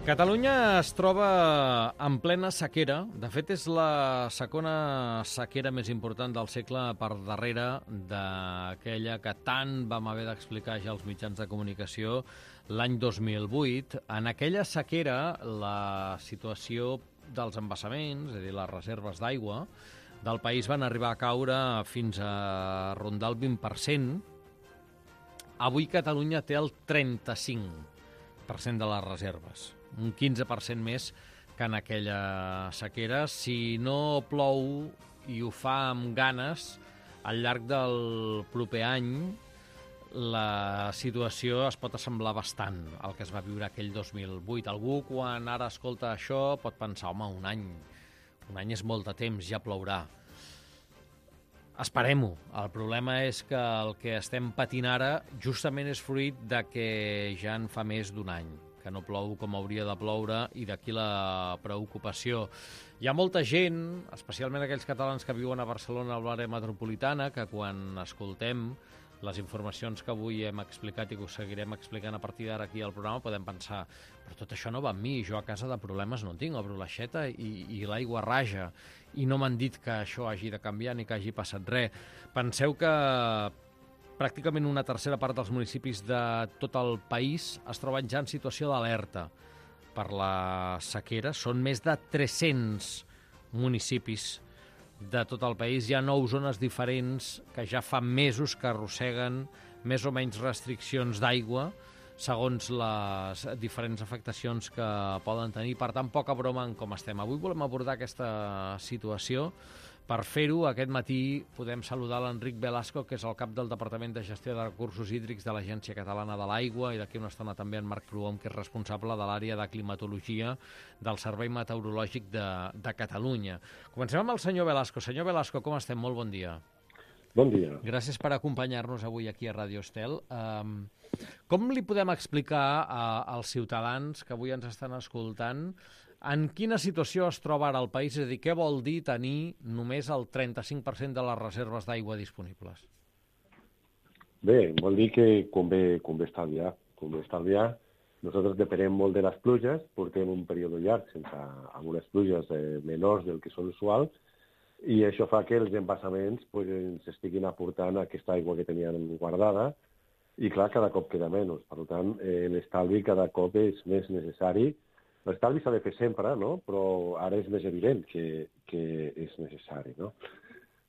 Catalunya es troba en plena sequera. De fet, és la segona sequera més important del segle per darrere d'aquella que tant vam haver d'explicar ja als mitjans de comunicació l'any 2008. En aquella sequera, la situació dels embassaments, és a dir, les reserves d'aigua del país van arribar a caure fins a rondar el 20%. Avui Catalunya té el 35% de les reserves, un 15% més que en aquella sequera. Si no plou i ho fa amb ganes, al llarg del proper any la situació es pot assemblar bastant al que es va viure aquell 2008. Algú, quan ara escolta això, pot pensar, home, un any és molt de temps, ja plourà. Esperem-ho. El problema és que el que estem patint ara justament és fruit de que ja en fa més d'un any que no plou com hauria de ploure, i d'aquí la preocupació. Hi ha molta gent, especialment aquells catalans que viuen a Barcelona, a l'àrea metropolitana, que quan escoltem les informacions que avui hem explicat i que us seguirem explicant a partir d'ara aquí al programa, podem pensar, però tot això no va amb mi, jo a casa de problemes no en tinc, obro l'aixeta i l'aigua raja, i no m'han dit que això hagi de canviar ni que hagi passat res. Penseu que pràcticament una tercera part dels municipis de tot el país es troben ja en situació d'alerta per la sequera. Són més de 300 municipis de tot el país. Hi ha 9 zones diferents que ja fa mesos que arrosseguen més o menys restriccions d'aigua segons les diferents afectacions que poden tenir. Per tant, poca broma en com estem. Avui volem abordar aquesta situació. Per fer-ho, aquest matí podem saludar l'Enric Velasco, que és el cap del Departament de Gestió de Recursos Hídrics de l'Agència Catalana de l'Aigua, i d'aquí una estona també en Marc Prohom, que és responsable de l'àrea de climatologia del Servei Meteorològic de Catalunya. Comencem amb el senyor Velasco. Senyor Velasco, com estem? Molt bon dia. Bon dia. Gràcies per acompanyar-nos avui aquí a Radio Estel. Com li podem explicar als ciutadans que avui ens estan escoltant en quina situació es troba ara el país? És a dir, què vol dir tenir només el 35% de les reserves d'aigua disponibles? Bé, vol dir que convé estalviar. Nosaltres depenem molt de les pluges, portem un període llarg amb unes pluges menors del que són usuals, i això fa que els embassaments ens estiguin aportant aquesta aigua que tenien guardada, i clar, cada cop queda menys. Per tant, l'estalvi cada cop és més necessari. L'estalvi s'ha de fer sempre, no? Però ara és més evident que és necessari, no?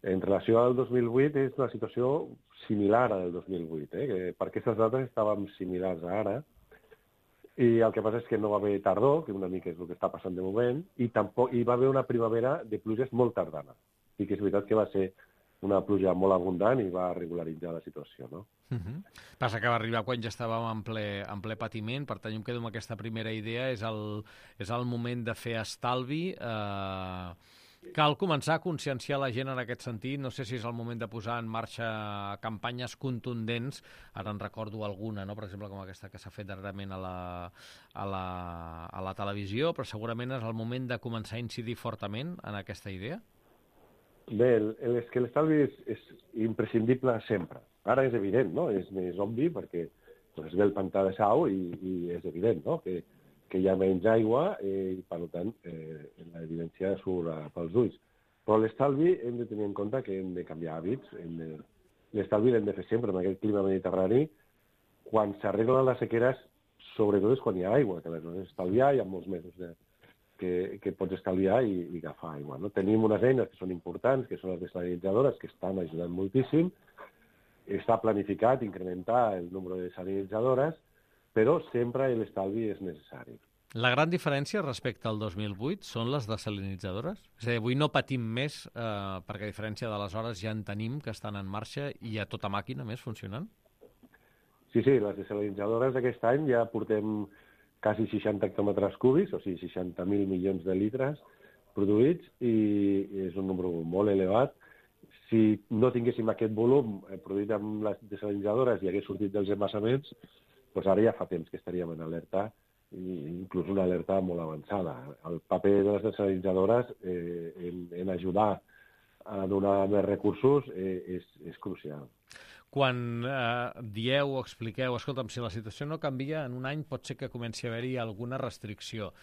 En relació al 2008 és una situació similar al 2008, que per aquestes dates estàvem similars a ara, i el que passa és que no va haver tardor, que una mica és el que està passant de moment, i hi va haver una primavera de pluges molt tardana. I que és veritat que va ser una pluja molt abundant i va regularitzar la situació, no? Passa que va arribar quan ja estàvem en ple patiment. Per tant, jo em quedo amb aquesta primera idea. És el moment de fer estalvi. Cal començar a conscienciar la gent en aquest sentit. No sé si és el moment de posar en marxa campanyes contundents. Ara en recordo alguna, no? Per exemple, com aquesta que s'ha fet darrerament a la televisió, però segurament és el moment de començar a incidir fortament en aquesta idea. Bé, és que l'estalvi és imprescindible sempre. Ara és evident, no? És més obvi perquè es ve el pantà de Sau i és evident, no? Que hi ha menys aigua i, per tant, l'evidència surt pels ulls. Però l'estalvi hem de tenir en compte que hem de canviar hàbits. L'estalvi l'hem de fer sempre en aquest clima mediterrani. Quan s'arreglen les sequeres, sobretot és quan hi ha aigua, que les has estalviar, hi ha molts mesos que pots estalviar i agafar aigua, no? Tenim unes eines que són importants, que són les desalinitzadores, que estan ajudant moltíssim. Està planificat incrementar el nombre de desalinitzadores, però sempre l'estalvi és necessari. La gran diferència respecte al 2008 són les desalinitzadores? És a dir, avui no patim més perquè a diferència d'aleshores ja en tenim que estan en marxa i a tota màquina més funcionant? Sí, les desalinitzadores d'aquest any ja portem quasi 60 hectòmetres cúbics, o sigui, 60.000 milions de litres produïts, i és un número molt elevat. Si no tinguéssim aquest volum produït amb les desalinitzadores i hagués sortit dels embassaments, doncs ara ja fa temps que estaríem en alerta, inclús una alerta molt avançada. El paper de les desalinitzadores en ajudar a donar més recursos és crucial. quan dieu o expliqueu, escolta'm, si la situació no canvia, en un any pot ser que comenci a haver-hi alguna restricció.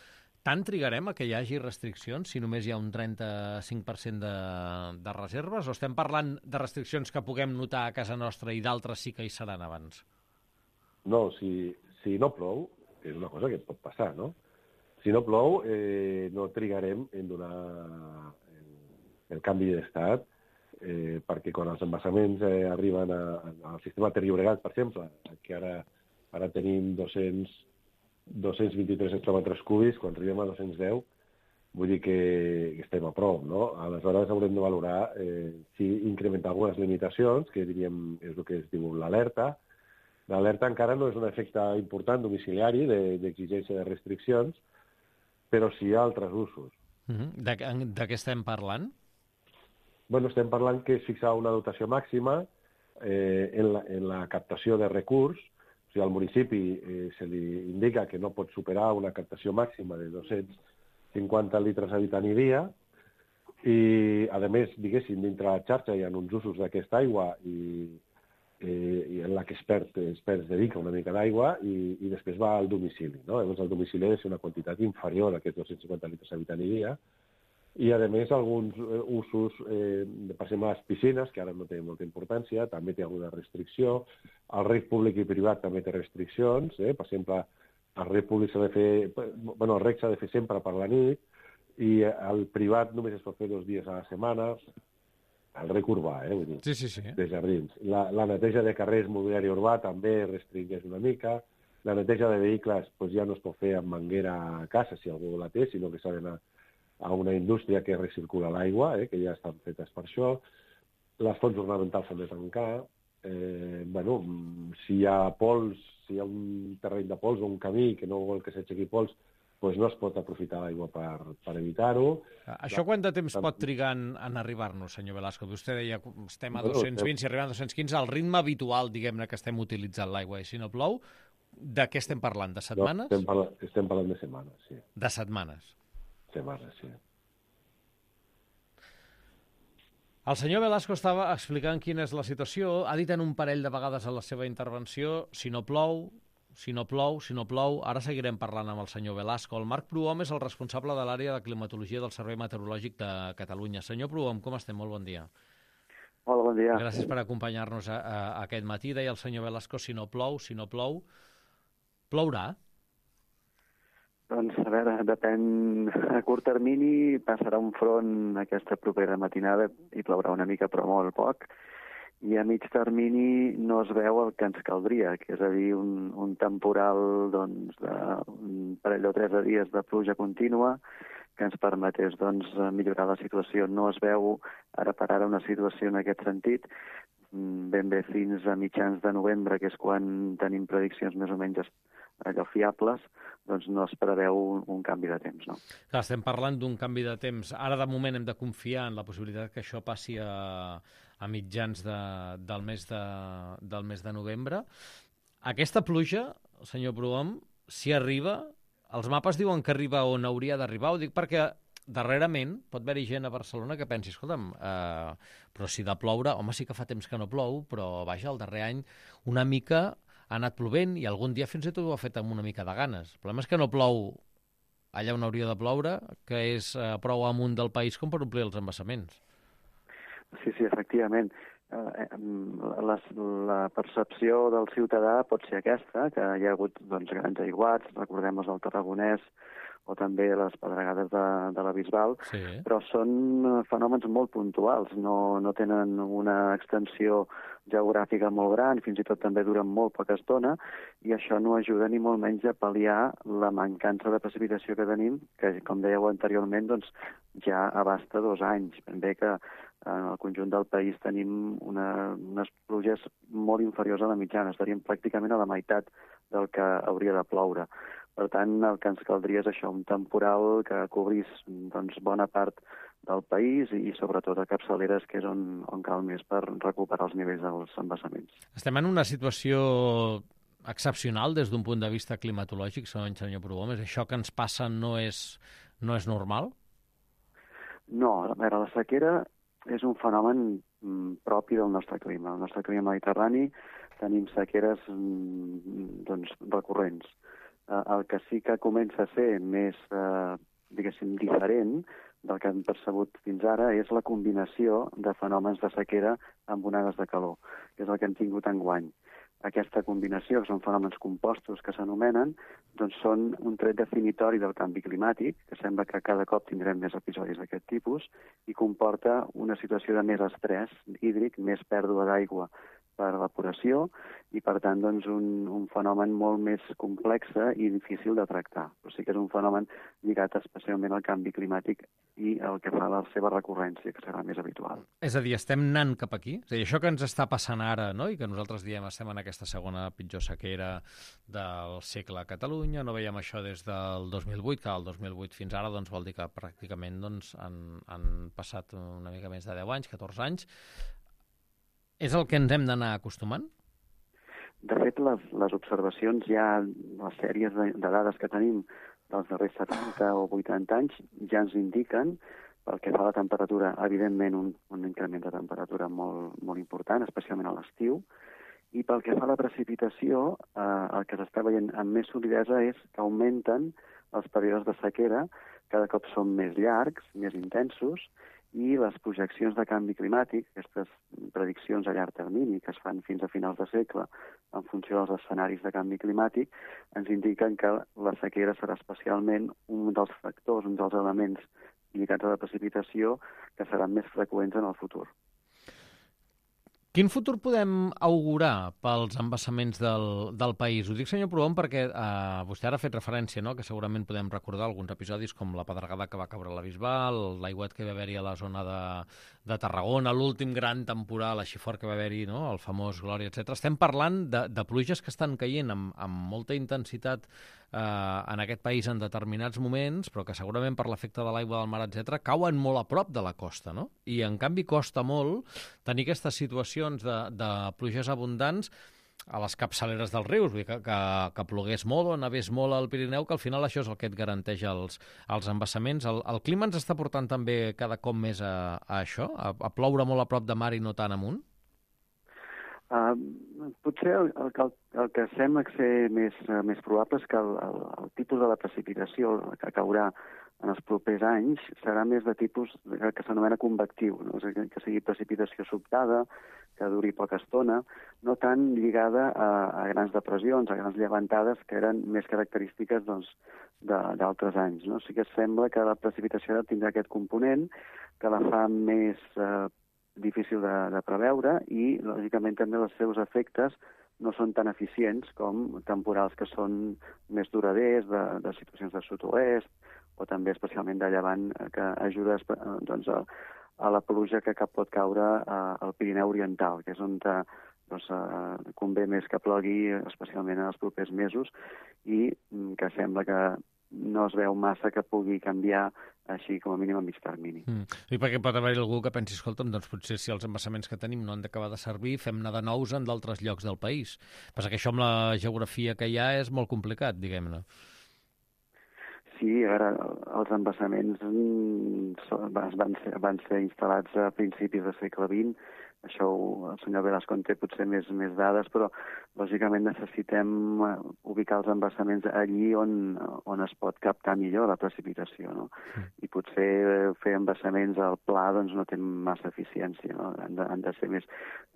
Tant trigarem a que hi hagi restriccions si només hi ha un 35% de reserves, o estem parlant de restriccions que puguem notar a casa nostra i d'altres sí que hi seran abans? No, si no plou, és una cosa que pot passar, no? Si no plou, no trigarem en donar el canvi d'estat, perquè quan els embassaments arriben al sistema Ter Llobregat, per exemple, que ara tenim 223 hectòmetres cúbics, quan arribem a 210, vull dir que estem a prop, no? Aleshores haurem de valorar si incrementar algunes limitacions, que diríem és el que es diu l'alerta. L'alerta encara no és un efecte important domiciliari d'exigència de restriccions, però sí hi ha altres usos. De què estem parlant? Bueno, estem parlant que és fixar una dotació màxima en la captació de recurs. O sigui, al municipi se li indica que no pot superar una captació màxima de 250 litres habitant i dia, i, a més, diguéssim, dintre la xarxa hi ha uns usos d'aquesta aigua i en la que es dedica una mica d'aigua i després va al domicili, no? Llavors, el domicili ha de ser una quantitat inferior a aquests 250 litres habitant i dia, i, a més, alguns usos, per exemple, les piscines, que ara no tenen molta importància, també té alguna restricció. El reg públic i privat també té restriccions. Per exemple, el reg públic s'ha de fer... Bueno, el reg s'ha de fer sempre per la nit, i el privat només es pot fer 2 dies a la setmana. El reg urbà, vull dir, sí. de jardins. La neteja de carrers, mobiliari urbà, també restringeix una mica. La neteja de vehicles ja no es pot fer amb manguera a casa, si algú la té, sinó que s'ha d'anar a una indústria que recircula l'aigua, que ja estan fetes per això. Les fonts ornamentals s'han de tancar. Si hi ha pols, si hi ha un terreny de pols o un camí que no vol que s'aixequi pols, doncs no es pot aprofitar l'aigua per evitar-ho. Això quant de temps pot trigar en arribar-nos, senyor Velasco? Vostè deia que estem a 220, si arribem a 215, el ritme habitual, diguem-ne, que estem utilitzant l'aigua, i si no plou, de què estem parlant? De setmanes? No, estem parlant de setmanes, sí. De setmanes? Setmanes, sí. El senyor Velasco estava explicant quina és la situació. Ha dit en un parell de vegades a la seva intervenció, si no plou, ara seguirem parlant amb el senyor Velasco. El Marc Prohom és el responsable de l'àrea de climatologia del Servei Meteorològic de Catalunya. Senyor Prohom, com estem? Molt bon dia. Hola, bon dia. Gràcies per acompanyar-nos aquest matí. Deia el senyor Velasco, si no plou, plourà? Doncs, a veure, depèn. A curt termini passarà un front aquesta propera matinada i plourà una mica, però molt poc. I a mig termini no es veu el que ens caldria, que és a dir, un temporal d'un parell o 3 dies de pluja contínua que ens permetés millorar la situació. No es veu ara per ara una situació en aquest sentit. Ben bé fins a mitjans de novembre, que és quan tenim prediccions més o menys allò fiables, doncs no es preveu un canvi de temps, no? Clar, estem parlant d'un canvi de temps. Ara, de moment, hem de confiar en la possibilitat que això passi a mitjans del mes de novembre. Aquesta pluja, senyor Prohom, si arriba, els mapes diuen que arriba on hauria d'arribar. Ho dic perquè darrerament pot haver-hi gent a Barcelona que pensi, escolta'm, però si de ploure, home, sí que fa temps que no plou, però vaja, el darrer any una mica ha anat plovent i algun dia fins i tot ho ha fet amb una mica de ganes. El problema és que no plou allà on hauria de ploure, que és prou amunt del país com per omplir els embassaments. Sí, efectivament. La percepció del ciutadà pot ser aquesta, que hi ha hagut grans aiguats, recordem els del Tarragonès, o també les pedregades de la Bisbal, sí. Però són fenòmens molt puntuals, no tenen una extensió geogràfica molt gran, fins i tot també duren molt poca estona, i això no ajuda ni molt menys a pal·liar la mancança de precipitació que tenim, que, com dèieu anteriorment, ja abasta 2 anys. Ben bé que en el conjunt del país tenim unes pluges molt inferiors a la mitjana, estaríem pràcticament a la meitat del que hauria de ploure. Per tant, el que ens caldria és això, un temporal que cobrís bona part del país i sobretot a capçaleres, que és on cal més per recuperar els nivells dels embassaments. Estem en una situació excepcional des d'un punt de vista climatològic, segons senyor Prohom. Això que ens passa no és normal? No, a veure, la sequera és un fenomen propi del nostre clima. El nostre clima mediterrani tenim sequeres recurrents. El que sí que comença a ser més, diguéssim, diferent del que hem percebut fins ara és la combinació de fenòmens de sequera amb onades de calor, que és el que hem tingut enguany. Aquesta combinació, que són fenòmens compostos que s'anomenen, doncs són un tret definitori del canvi climàtic, que sembla que cada cop tindrem més episodis d'aquest tipus, i comporta una situació de més estrès hídric, més pèrdua d'aigua per evaporació, i per tant doncs, un fenomen molt més complex i difícil de tractar. Però sí que és un fenomen lligat especialment al canvi climàtic i el que fa la seva recurrència, que serà més habitual. És a dir, estem anant cap aquí? És a dir, això que ens està passant ara, no? I que nosaltres diem estem en aquesta segona pitjor sequera del segle a Catalunya, no veiem això des del 2008, que el 2008 fins ara doncs, vol dir que pràcticament doncs, han passat una mica més de 10 anys, 14 anys. És el que ens hem d'anar acostumant? De fet, les observacions ja, les sèries de dades que tenim dels darrers 70 o 80 anys ja ens indiquen, pel que fa a la temperatura, evidentment un increment de temperatura molt, molt important, especialment a l'estiu, i pel que fa a la precipitació, el que s'està veient amb més solidesa és que augmenten els períodes de sequera, cada cop són més llargs, més intensos, i les projeccions de canvi climàtic, aquestes prediccions a llarg termini que es fan fins a finals de segle en funció dels escenaris de canvi climàtic, ens indiquen que la sequera serà especialment un dels factors, un dels elements lligats a la precipitació que seran més freqüents en el futur. Quin futur podem augurar pels embassaments del país? Ho dic, senyor Prohom, perquè vostè ara ha fet referència, no?, que segurament podem recordar alguns episodis com la pedregada que va caure a la Bisbal, l'aiguat que va haver-hi a la zona de Tarragona, l'últim gran temporal així fort que va haver-hi, no?, el famós Glòria, etc. Estem parlant de pluges que estan caient amb molta intensitat en aquest país en determinats moments, però que segurament per l'efecte de l'aigua del mar, etc., cauen molt a prop de la costa, no? I, en canvi, costa molt tenir aquestes situacions de pluges abundants a les capçaleres dels rius, vull dir que plogués molt o nevés molt al Pirineu, que al final això és el que et garanteix els embassaments. El clima ens està portant també cada cop més a això, a ploure molt a prop de mar i no tant amunt? Potser el que sembla ser més probable és que el tipus de la precipitació que caurà en els propers anys serà més de tipus que s'anomena convectiu, no? És a dir, que sigui precipitació sobtada, que duri poca estona, no tan lligada a grans depressions, a grans llevantades que eren més característiques doncs, d'altres anys. No? Sí que sembla que la precipitació tindrà aquest component que la fa més difícil de preveure i, lògicament, també els seus efectes no són tan eficients com temporals que són més duraders, de situacions de sud-oest, o també especialment de llevant, que ajuda doncs, a la pluja que pot caure al Pirineu Oriental, que és on doncs, convé més que plogui, especialment en els propers mesos, i que sembla que no es veu massa que pugui canviar així com a mínim a mig termini. I perquè pot haver-hi algú que pensi, escolta'm, doncs potser si els embassaments que tenim no han d'acabar de servir, fem-ne de nous en d'altres llocs del país. Passa que això amb la geografia que hi ha és molt complicat, diguem-ne. Sí, ara els embassaments van ser instal·lats a principis del segle XX. Això el senyor Velasco en té potser més dades, però lògicament necessitem ubicar els embassaments allí on es pot captar millor la precipitació, no? I potser fer embassaments al pla doncs, no té massa eficiència, no? Han de ser més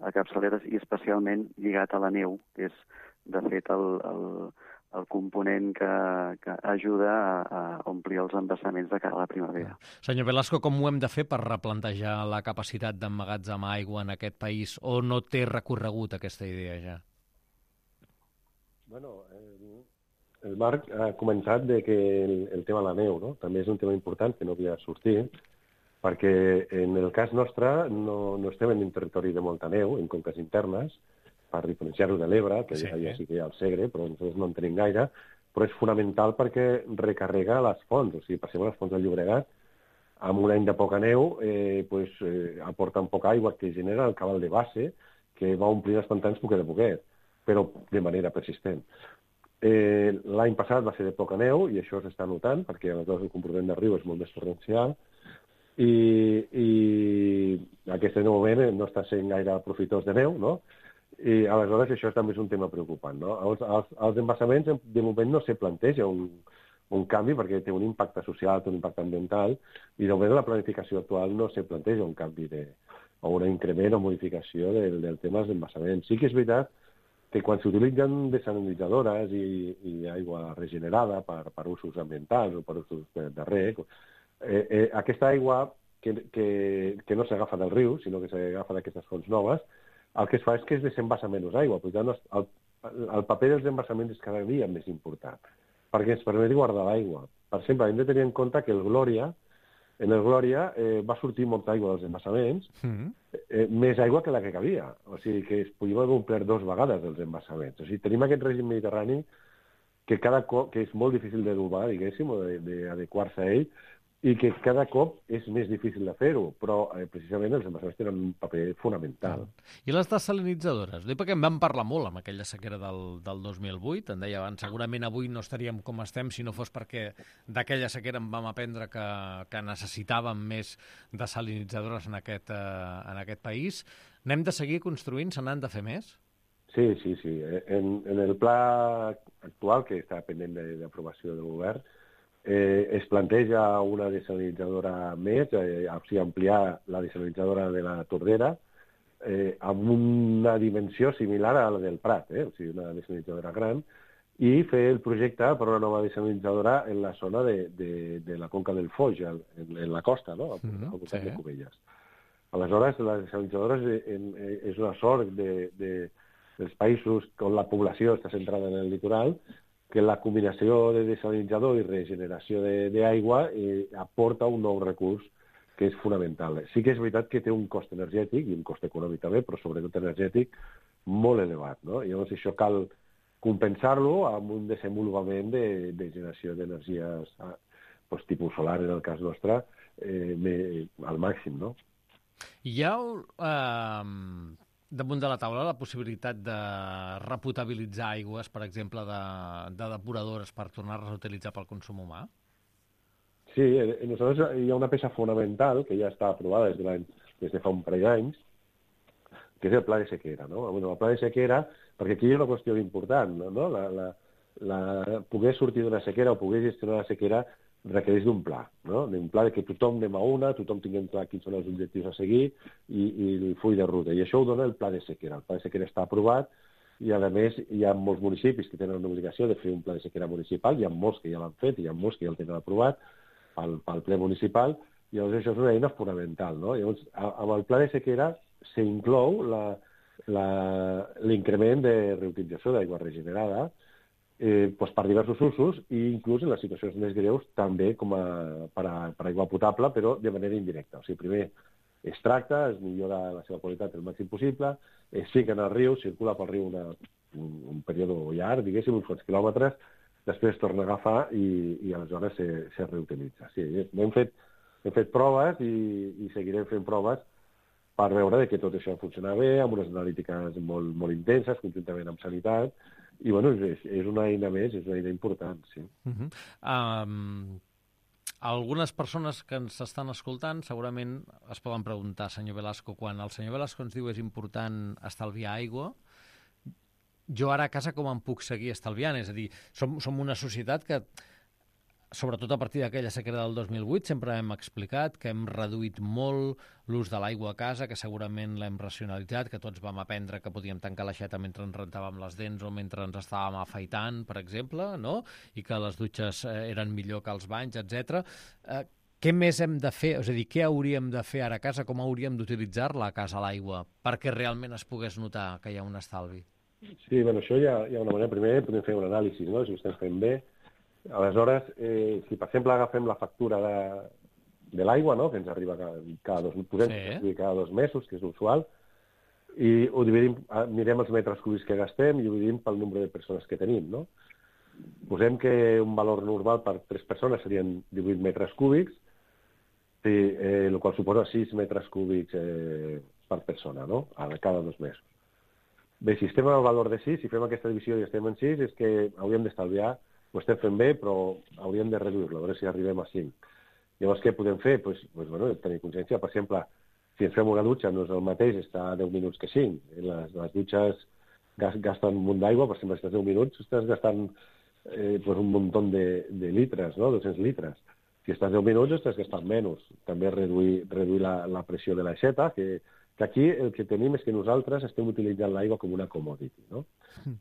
a capçaleres i especialment lligat a la neu, que és de fet el component que ajuda a omplir els embassaments de cara a la primavera. Senyor Velasco, com ho hem de fer per replantejar la capacitat d'emmagatzemar aigua en aquest país, o no té recorregut aquesta idea ja? Bueno, el Marc ha comentat de que el tema de la neu, no? També és un tema important que no havia sortit, perquè en el cas nostre no estem en un territori de molta neu, en conques internes, per diferenciar-ho de l'Ebre, que ja sí que hi ha el Segre, però nosaltres no en tenim gaire, però és fonamental perquè recarrega les fonts. O sigui, per exemple, les fonts del Llobregat, amb un any de poca neu, aporten poca aigua que genera el cabal de base, que va omplir els pantans poquet a poquet, però de manera persistent. L'any passat va ser de poca neu, i això s'està notant, perquè aleshores el comportament del riu és molt més torrencial, i aquest moment no està sent gaire profitós de neu, no? I aleshores això també és un tema preocupant, no? Els embassaments de moment no se planteja un canvi perquè té un impacte social, té un impacte ambiental, i de moment la planificació actual no se planteja un canvi o un increment o modificació del tema dels embassaments. Sí que és veritat que quan s'utilitzen desalinitzadores i aigua regenerada per usos ambientals o per usos de reg, aquesta aigua que no s'agafa del riu, sinó que s'agafa d'aquestes fonts noves, el que es fa és que es desembassa menys aigua. Per tant, el paper dels embassaments és cada dia més important, perquè ens permet guardar l'aigua. Per exemple, hem de tenir en compte que en el Glòria va sortir molta aigua dels embassaments, més aigua que la que cabia. O sigui, que es podien haver omplert 2 vegades els embassaments. O sigui, tenim aquest règim mediterrani que cada cop que és molt difícil d'adobar, diguéssim, o d'adequar-se a ell, i que cada cop és més difícil de fer-ho, però precisament els embassaments tenen un paper fonamental. I les desalinitzadores? Dic perquè en vam parlar molt amb aquella sequera del 2008, en deia abans, segurament avui no estaríem com estem si no fos perquè d'aquella sequera en vam aprendre que necessitàvem més desalinitzadores en aquest país. N'hem de seguir construint? Se n'han de fer més? Sí. En el pla actual, que està pendent d'aprovació del govern, es planteja una desalinitzadora més, o sigui, ampliar la desalinitzadora de la Tordera amb una dimensió similar a la del Prat, o sigui, una desalinitzadora gran, i fer el projecte per una nova desalinitzadora en la zona de la conca del Foix, en la costa, no? Al voltant de Cubelles. Aleshores, la desalinitzadora és una sort dels països on la població està centrada en el litoral, que la combinació de desalinitzador i regeneració d'aigua aporta un nou recurs que és fonamental. Sí que és veritat que té un cost energètic i un cost econòmic també, però sobretot energètic molt elevat, no? I llavors això cal compensar-lo amb un desenvolupament de generació d'energies tipus solar, en el cas nostre, al màxim, no? Hi ha damunt de la taula la possibilitat de repotabilitzar aigües, per exemple, de depuradores per tornar-les a utilitzar pel consum humà? Sí, nosaltres hi ha una peça fonamental que ja està aprovada des de fa un parell d'anys, que és el pla de sequera, no? El pla de sequera, perquè aquí hi ha una qüestió important, no? Poder sortir d'una sequera o poder gestionar la sequera requereix d'un pla, no? D'un pla que tothom anem a una, tothom tinguem clar quins són els objectius a seguir i el full de ruta. I això ho dona el pla de sequera. El pla de sequera està aprovat i, a més, hi ha molts municipis que tenen una obligació de fer un pla de sequera municipal, hi ha molts que ja l'han fet i hi ha molts que ja el tenen aprovat pel ple municipal, i llavors això és una eina fonamental, no? Llavors, amb el pla de sequera s'inclou l'increment de reutilització d'aigua regenerada per diversos usos i inclús en les situacions més greus també com per aigua potable, però de manera indirecta. O sigui, primer es tracta, es millora la seva qualitat el màxim possible, es fica en el riu, circula pel riu un període llarg, diguéssim, uns quants quilòmetres, després es torna a agafar i aleshores se reutilitza. Sí, hem fet proves i seguirem fent proves per veure que tot això funciona bé, amb unes analítiques molt intenses, conjuntament amb sanitat, i bueno, és una eina més, és una eina important, sí. Algunes persones que ens estan escoltant segurament es poden preguntar, senyor Velasco, quan el senyor Velasco ens diu és important estalviar aigua, jo ara a casa com em puc seguir estalviant? És a dir, som una societat que, sobretot a partir d'aquella sequera del 2008, sempre hem explicat que hem reduït molt l'ús de l'aigua a casa, que segurament l'hem racionalitzat, que tots vam aprendre que podíem tancar l'aixeta mentre ens rentàvem les dents o mentre ens estàvem afaitant, per exemple, no? I que les dutxes eren millor que els banys, etc. Què més hem de fer? És a dir, què hauríem de fer ara a casa? Com hauríem d'utilitzar-la a casa, l'aigua, perquè realment es pogués notar que hi ha un estalvi? Sí, bueno, això hi ha una manera. Primer podem fer un anàlisi, no? Si ho estem fent bé. Aleshores, si per exemple agafem la factura de l'aigua, no? Que ens arriba cada 2 mesos, que és usual, i ho dividim, mirem els metres cúbics que gastem i ho dividim pel nombre de persones que tenim, no? Posem que un valor normal per 3 persones serien 18 metres cúbics, el qual suposa 6 metres cúbics per persona, no? Cada 2 mesos. Bé, si estem al valor de 6, si fem aquesta divisió i estem en 6, és que hauríem d'estalviar, ho estem fent bé, però hauríem de reduir-lo, a veure si arribem a 5. Llavors, què podem fer? Bueno, tenir consciència. Per exemple, si ens fem una dutxa, no és el mateix estar 10 minuts que 5. Les dutxes gasten un munt d'aigua, per exemple, si estàs 10 minuts, estàs gastant un muntó de litres, no? 200 litres. Si estàs 10 minuts, estàs gastant menys. També reduir la pressió de l'aixeta, que aquí el que tenim és que nosaltres estem utilitzant l'aigua com una commodity, no?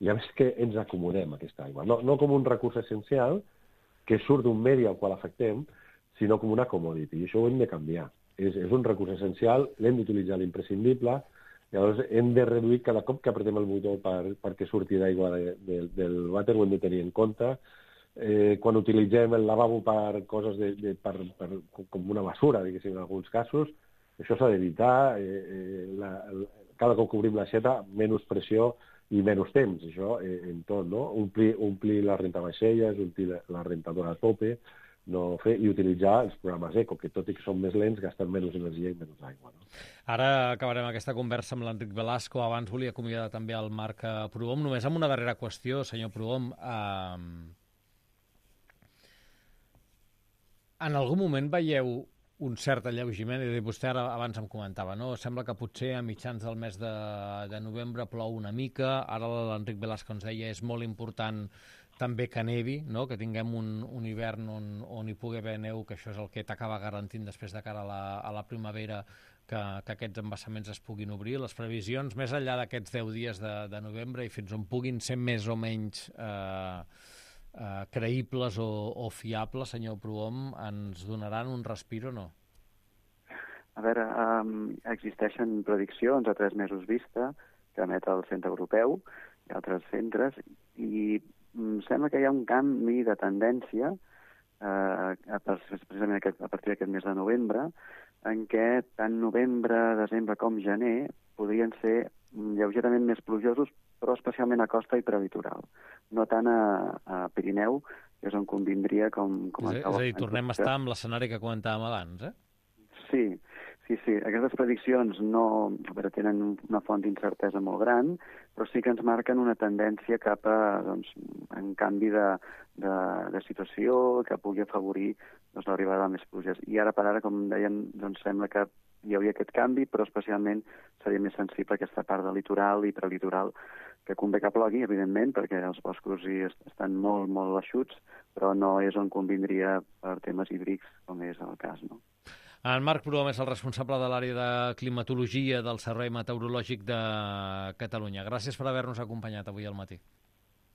I a més que ens acomodem aquesta aigua. No com un recurs essencial que surt d'un medi al qual afectem, sinó com una commodity. I això ho hem de canviar. És un recurs essencial, l'hem d'utilitzar l'imprescindible, llavors hem de reduir cada cop que apretem el botó perquè surti d'aigua del vàter, ho hem de tenir en compte. Quan utilitzem el lavabo per coses com una basura, diguéssim, en alguns casos, això s'ha d'evitar. Cada cop que obrim l'aixeta, menys pressió i menys temps, això en tot, no? Omplir la rentavaixelles, omplir la rentadora a tope, no fer, i utilitzar els programes eco, que tot i que són més lents, gasten menys energia i menys aigua. No? Ara acabarem aquesta conversa amb l'Enric Velasco. Abans volia acomiadar també el Marc Prohom. Només amb una darrera qüestió, senyor Prohom. En algun moment veieu un cert alleugiment? Vostè ara abans em comentava, no? Sembla que potser a mitjans del mes de novembre plou una mica. Ara l'Enric Velasco ens deia és molt important també que nevi, no? Que tinguem un hivern on hi pugui haver neu, que això és el que t'acaba garantint després de cara a la primavera que aquests embassaments es puguin obrir. Les previsions, més enllà d'aquests 10 dies de novembre i fins on puguin ser més o menys creïbles o fiables, senyor Prohom, ens donaran un respir o no? A veure, existeixen prediccions a 3 mesos vista que emet el Centre Europeu i altres centres, i sembla que hi ha un canvi de tendència precisament a partir d'aquest mes de novembre, en què tant novembre, desembre com gener podrien ser lleugerament més plujosos, però especialment a costa i prelitoral. No tant a Pirineu, que és on convindria com és a dir, tornem a estar amb l'escenari que comentàvem abans, Sí. Aquestes prediccions tenen una font d'incertesa molt gran, però sí que ens marquen una tendència cap a un canvi de situació que pugui afavorir l'arribada de més pluges. I ara per ara, com dèiem, sembla que hi hauria aquest canvi, però especialment seria més sensible aquesta part del litoral i prelitoral, que convé que plogui, evidentment, perquè els boscos estan molt, molt eixuts, però no és on convindria per temes hídrics, com és el cas, no? En Marc Prohom és el responsable de l'àrea de climatologia del Servei Meteorològic de Catalunya. Gràcies per haver-nos acompanyat avui al matí.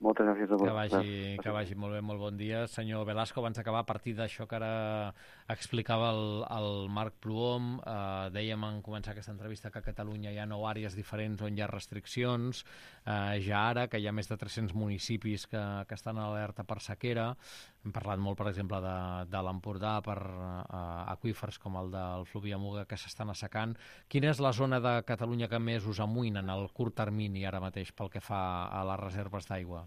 Moltes gràcies a vosaltres. Que vagi molt bé, molt bon dia. Senyor Velasco, abans d'acabar, a partir d'això que ara explicava el Marc Prohom, dèiem en començar aquesta entrevista que a Catalunya hi ha 9 àrees diferents on hi ha restriccions, ja ara que hi ha més de 300 municipis que estan en alerta per sequera. Hem parlat molt, per exemple, de l'Empordà per aqüífers com el del Fluvià-Muga que s'estan assecant. Quina és la zona de Catalunya que més us amoïna en el curt termini ara mateix pel que fa a les reserves d'aigua?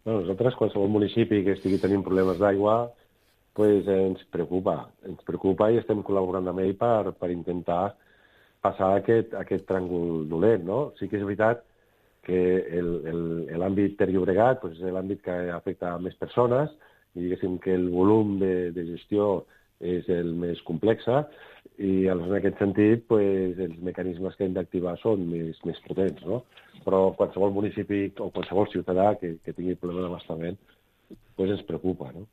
Nosaltres, qualsevol municipi que estigui tenint problemes d'aigua, ens preocupa i estem col·laborant amb ell per intentar passar aquest tràngol dolent, no? Sí que és veritat que l'àmbit Ter Llobregat és l'àmbit que afecta a més persones i diguéssim que el volum de gestió és el més complex i en aquest sentit els mecanismes que hem d'activar són més potents, no? Però qualsevol municipi o qualsevol ciutadà que tingui problema d'abastament ens preocupa, no?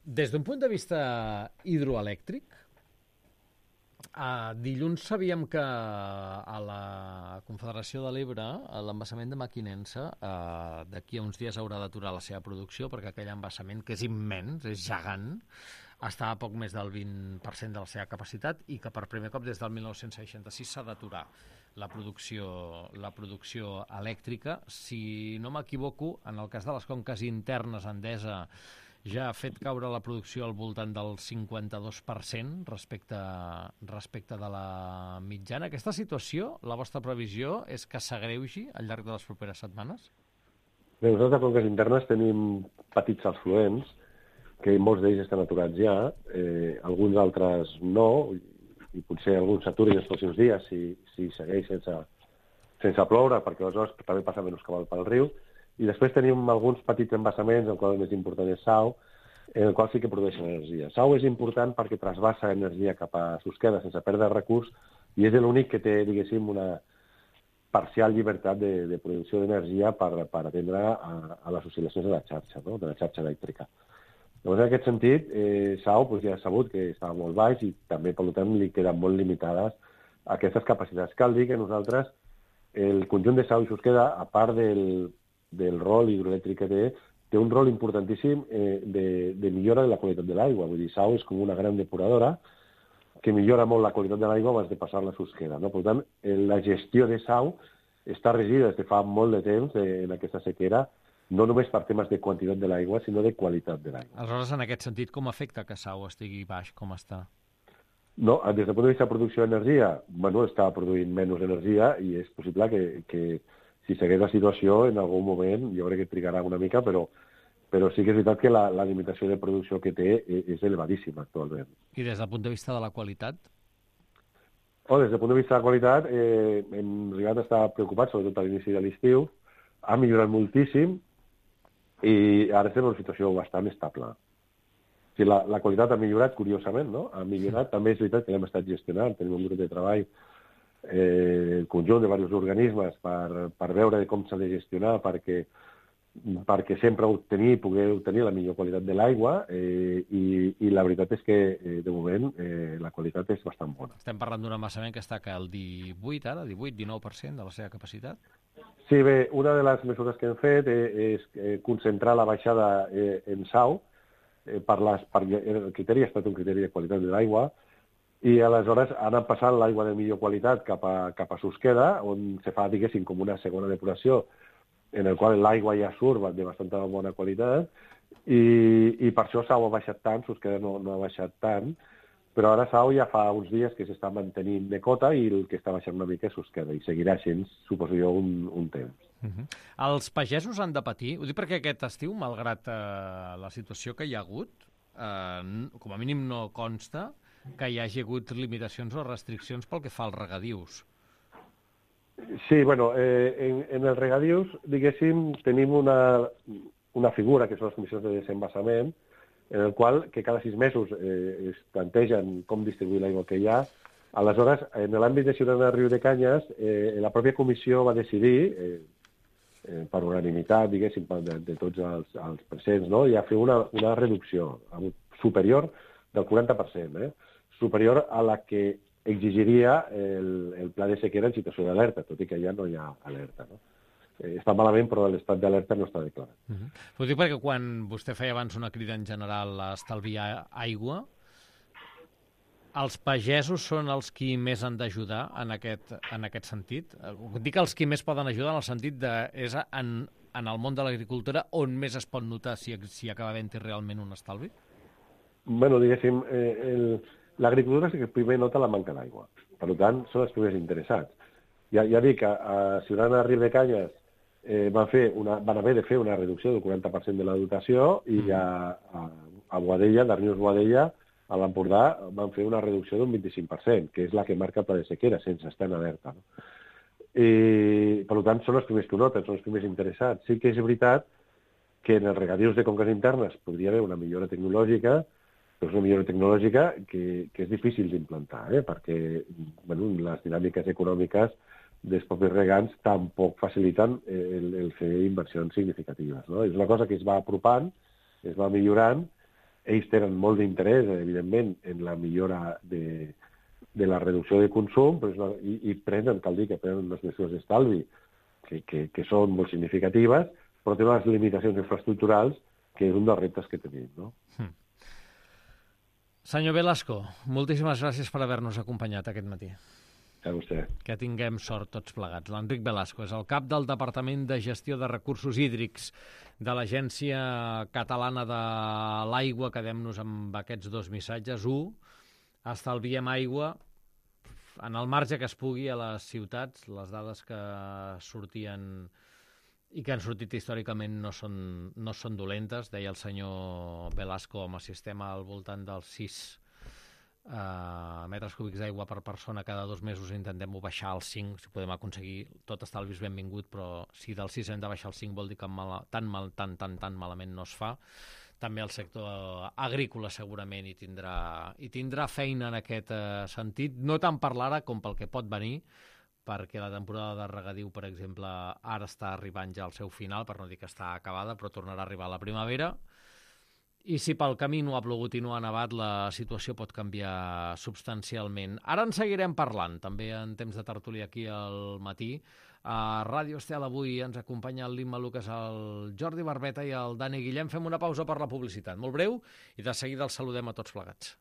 Des d'un punt de vista hidroelèctric, dilluns sabíem que a la Confederació de l'Ebre l'embassament de Mequinensa d'aquí a uns dies haurà d'aturar la seva producció perquè aquell embassament, que és immens, és gegant, està a poc més del 20% de la seva capacitat i que per primer cop des del 1966 s'ha d'aturar la producció elèctrica. Si no m'equivoco, en el cas de les conques internes, Endesa ja ha fet caure la producció al voltant del 52% respecte de la mitjana. Aquesta situació, la vostra previsió és que s'agreugi al llarg de les properes setmanes? Bé, nosaltres a conques internes tenim petits afluents, que molts d'ells estan aturats ja, alguns altres no, i potser alguns s'aturin els pròxims dies si segueix sense ploure, perquè aleshores també passa menys cabal pel riu. I després tenim alguns petits embassaments, el qual el més important és Sau, en el qual sí que produeixen energia. Sau és important perquè trasbassa energia cap a Susqueda sense perdre recurs i és l'únic que té, diguéssim, una parcial llibertat de producció d'energia per atendre a les oscil·lacions de la xarxa, no? De la xarxa elèctrica. Llavors, en aquest sentit, Sau ja ha sabut que estava molt baix i també, per tant, li queden molt limitades aquestes capacitats. Cal dir que nosaltres, el conjunt de Sau i Susqueda, a part del rol hidroelèctric que té un rol importantíssim de millora de la qualitat de l'aigua. Vull dir, Sau és com una gran depuradora que millora molt la qualitat de l'aigua abans de passar-la a Susqueda, no? Per tant, la gestió de Sau està regida des de fa molt de temps en aquesta sequera, no només per temes de quantitat de l'aigua, sinó de qualitat de l'aigua. Aleshores, en aquest sentit, com afecta que Sau estigui baix com està? No, des del punt de vista de producció d'energia, bueno, està produint menys energia i és possible que si segueix la situació, en algun moment, jo crec que trigarà una mica, però sí que és veritat que la limitació de producció que té és elevadíssima actualment. I des del punt de vista de la qualitat? Des del punt de vista de la qualitat, hem arribat a estar preocupats, sobretot a l'inici de l'estiu, ha millorat moltíssim i ara estem en una situació bastant estable. O sigui, la qualitat ha millorat, curiosament, no? Ha millorat. També és veritat que l'hem estat gestionant, tenim un grup de treball, el conjunt de diversos organismes per veure com s'ha de gestionar perquè sempre poder obtenir la millor qualitat de l'aigua i la veritat és que, de moment, la qualitat és bastant bona. Estem parlant d'un embassament que està al 18-19% de la seva capacitat? Sí, bé, una de les mesures que hem fet és concentrar la baixada en Sau, el criteri ha estat un criteri de qualitat de l'aigua, i aleshores han anat passant l'aigua de millor qualitat cap a Susqueda, on se fa, diguéssim, com una segona depuració, en el qual l'aigua ja surt de bastanta bona qualitat, i per això Sau ha baixat tant, Susqueda no ha baixat tant, però ara Sau ja fa uns dies que s'està mantenint de cota i el que està baixant una mica és Susqueda, i seguirà sent, suposo jo, un temps. Els pagesos han de patir, ho dic perquè aquest estiu, malgrat la situació que hi ha hagut, com a mínim no consta que hi hagi hagut limitacions o restriccions pel que fa als regadius. Sí, bueno, en els regadius, diguéssim, tenim una figura, que són les comissions de desembassament, en el qual que cada 6 mesos es plantegen com distribuir l'aigua que hi ha. Aleshores, en l'àmbit de Ciutadana de Riu de Canyes, la pròpia comissió va decidir, per unanimitat, diguéssim, de tots els presents, no? I a fer una reducció superior del 40%, superior a la que exigiria el pla de sequera en situació d'alerta, tot i que ja no hi ha alerta, no? Està malament, però l'estat d'alerta no està declarat. Ho dic perquè quan vostè feia abans una crida en general a estalviar aigua, els pagesos són els qui més han d'ajudar en aquest sentit? Dic els qui més poden ajudar en el sentit de és en el món de l'agricultura on més es pot notar si acaba havent-hi realment un estalvi? Bueno, diguéssim, l'agricultura és que primer nota la manca d'aigua. Per tant, són els primers interessats. Ja dic que a Ciutadana de Riu de Canyes van haver de fer una reducció del 40% de la dotació i a Boadella, d'Arnius Boadella, a l'Empordà van fer una reducció d'un 25%, que és la que marca el pla de sequera, sense estar en alerta. No? I, per tant, són els primers que ho noten, són els primers interessats. Sí que és veritat que en els regadius de conques internes podria haver una millora tecnològica, però és una millora tecnològica que és difícil d'implantar, perquè les dinàmiques econòmiques dels propis regants tampoc faciliten el fer inversions significatives. No? És una cosa que es va apropant, es va millorant. Ells tenen molt d'interès, evidentment, en la millora de la reducció de consum, però i prenen, cal dir que prenen unes mesures d'estalvi que són molt significatives, però tenen unes limitacions infraestructurals que és un dels reptes que tenim. No? Senyor Velasco, moltíssimes gràcies per haver-nos acompanyat aquest matí. A vostè. Que tinguem sort tots plegats. L'Enric Velasco és el cap del Departament de Gestió de Recursos Hídrics de l'Agència Catalana de l'Aigua. Quedem-nos amb aquests 2 missatges. 1, estalviem aigua en el marge que es pugui a les ciutats. Les dades que sortien i que han sortit històricament no són dolentes. Deia el senyor Velasco, amb el sistema al voltant dels 6 metres cúbics d'aigua per persona cada 2 mesos, intentem-ho baixar als 5, si podem aconseguir. Tot estalvi és benvingut, però si del 6 hem de baixar al 5 vol dir que tan malament no es fa. també el sector agrícola segurament hi tindrà feina en aquest sentit, no tant per l'ara com pel que pot venir, perquè la temporada de regadiu, per exemple, ara està arribant ja al seu final, per no dir que està acabada, però tornarà a arribar a la primavera. I si pel camí no ha plogut i no ha nevat, la situació pot canviar substancialment. Ara en seguirem parlant, també en temps de tertúlia aquí al matí. A Ràdio Estel avui ens acompanya el l'Imma Lucas, el Jordi Barbeta i el Dani Guillem. Fem una pausa per la publicitat, molt breu, i de seguida els saludem a tots plegats.